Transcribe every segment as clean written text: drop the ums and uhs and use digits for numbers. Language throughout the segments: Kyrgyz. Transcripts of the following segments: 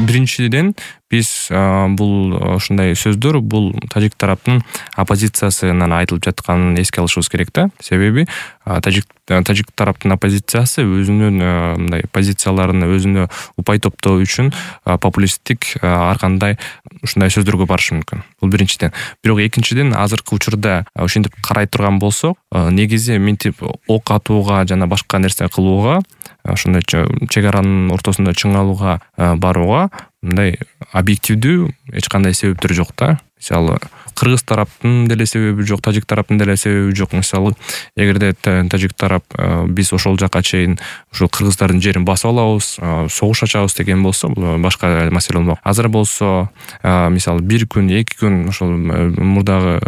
биринчиден биз бул ушундай сөздөр бул тажик тараптын оппозициясынан айтылып жатканын эске алышыбыз керек да. Себеби тажик тараптын оппозициясы өзүнүн мындай позицияларын өзүнө упай топтоо үчүн популисттик ар кандай ушундай сөздөргө барышы мүмкүн. Бул биринчиден. Бирок экинчиден азыркы учурда ошентип карай турган болсок, негизи мынтип ок атууга жана башка нерсе кылууга, ошондой чек аранын ортосунда чыңалууга барууга мындай объективдүү эч кандай себептер жок да. Мисалы, кыргыз тараптын деле себеби жок, тажик тараптын деле себеби жок. Мисалы, эгерде тажик тарап биз ошол жака чейин ушул кыргыздардын жерин басып алабыз, согуш ачабыз деген болсо, бул башка маселе болмок. Азыр болсо, мисалы, бир күн, эки күн ошол мурдагы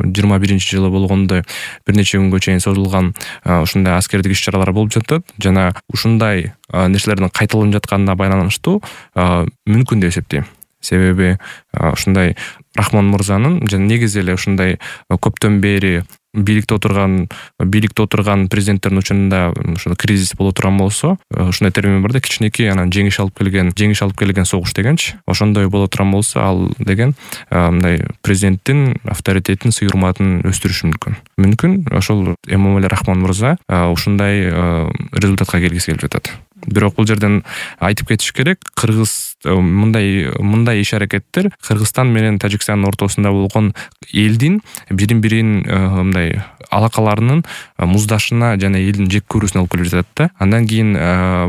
21-жылы болгондой бир нече күнгө чейин созулган ушундай аскердик иш-чаралар болуп жатат жана ушундай нерселердин кайталанып жатканына байланыштуу мүмкүн деп эсептейм. Себеби ушундай Рахмон мырзанын жана негизи эле ушундай көптөн бери бийликте отурган президенттердин учурунда ушул кризис боло турган болсо, ушундай термин бар да, кичинекей анан жеңиш алып келген согуш дегенчи. Ошондой боло турган болсо, ал деген мындай президенттин авторитетин, сый-урматын өстүрүшү мүмкүн. Мүмкүн ошол Эмомали Рахмон мырза ушундай результатка келгиси келип жатат. Бирок бул жерден айтып кетиш керек, кыргыз мындай иш-аракеттер Кыргызстан менен Тажикстандын ортосунда болгон элдин бирин-бирин мындай алакаларынын муздашына жана элдин жек көрүүсүнө алып келип жатат да. Андан кийин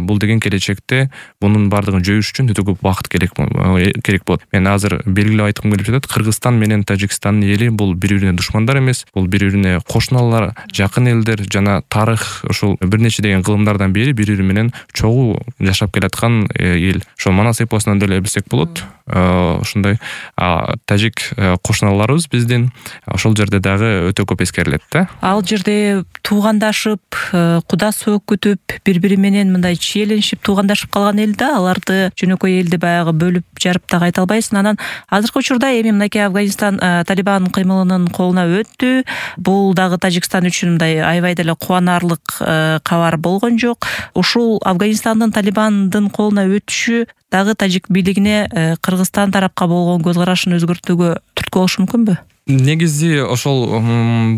бул деген келечекте мунун баардыгын жоюш үчүн өтө көп убакыт керек болот. Мен азыр белгилеп айткым келип жатат, Кыргызстан менен Тажикстандын эли бул бири-бирине душмандар эмес, бул бири-бирине кошуналар, жакын элдер жана тарых ушул бир нече деген кылымдардан бери бири-бири менен чогуу жашап келаткан эл. Ошол манас эпосунан деле билсек болот. Ушундай тажик кошуналарыбыз биздин ошол жерде дагы өтө көп эскерилет да. Ал жерде туугандашып, куда сөөк күтүп, бири-бири менен мындай чиеленишип туугандашып калган эл да, аларды жөнөкөй элди баягы бөлүп жарып да кайта албайсың. Анан азыркы учурда эми мынакей Афганистан Талибан кыймылынын колуна өттү. Бул дагы Тажикстан үчүн мындай аябай деле кубанарлык кабар болгон жок. Ушул Афганистандын Талибандын колуна өтүшү дагы тажик бийлигине Кыргызстан тарапка болгон көз карашын өзгөртүүгө түрткү болушу мүмкүнбү? Негизи ошол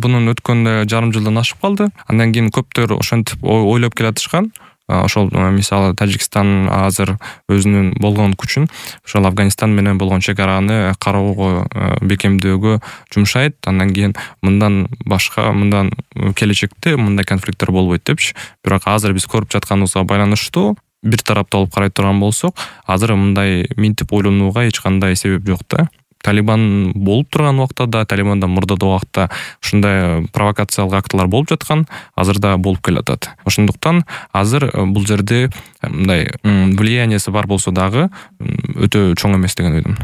бунун өткөндө жарым жылдан ашып калды. Андан кийин көптөр ошентип ойлоп келатышкан. Ошол мисалы Тажикстан азыр өзүнүн болгон күчүн ошол Афганистан менен болгон чек араны кароого, бекемдөөгө жумшайт. Андан кийин мындан келечекте мындай конфликттер болбойт депчи. Бирок азыр биз көрүп жатканыбызга байланыштуу бир тараптуу алып карай турган болсок, азыр мындай минтип ойлонууга эч кандай себеп жок да. Талибан болуп турган убакта да, Талибандан мурдагы убакта ушундай провокациялык актылар болуп жаткан, азыр да болуп келатат. Ошондуктан азыр бул жерде мындай влияниясы бар болсо дагы өтө чоң эмес деген ойдомун.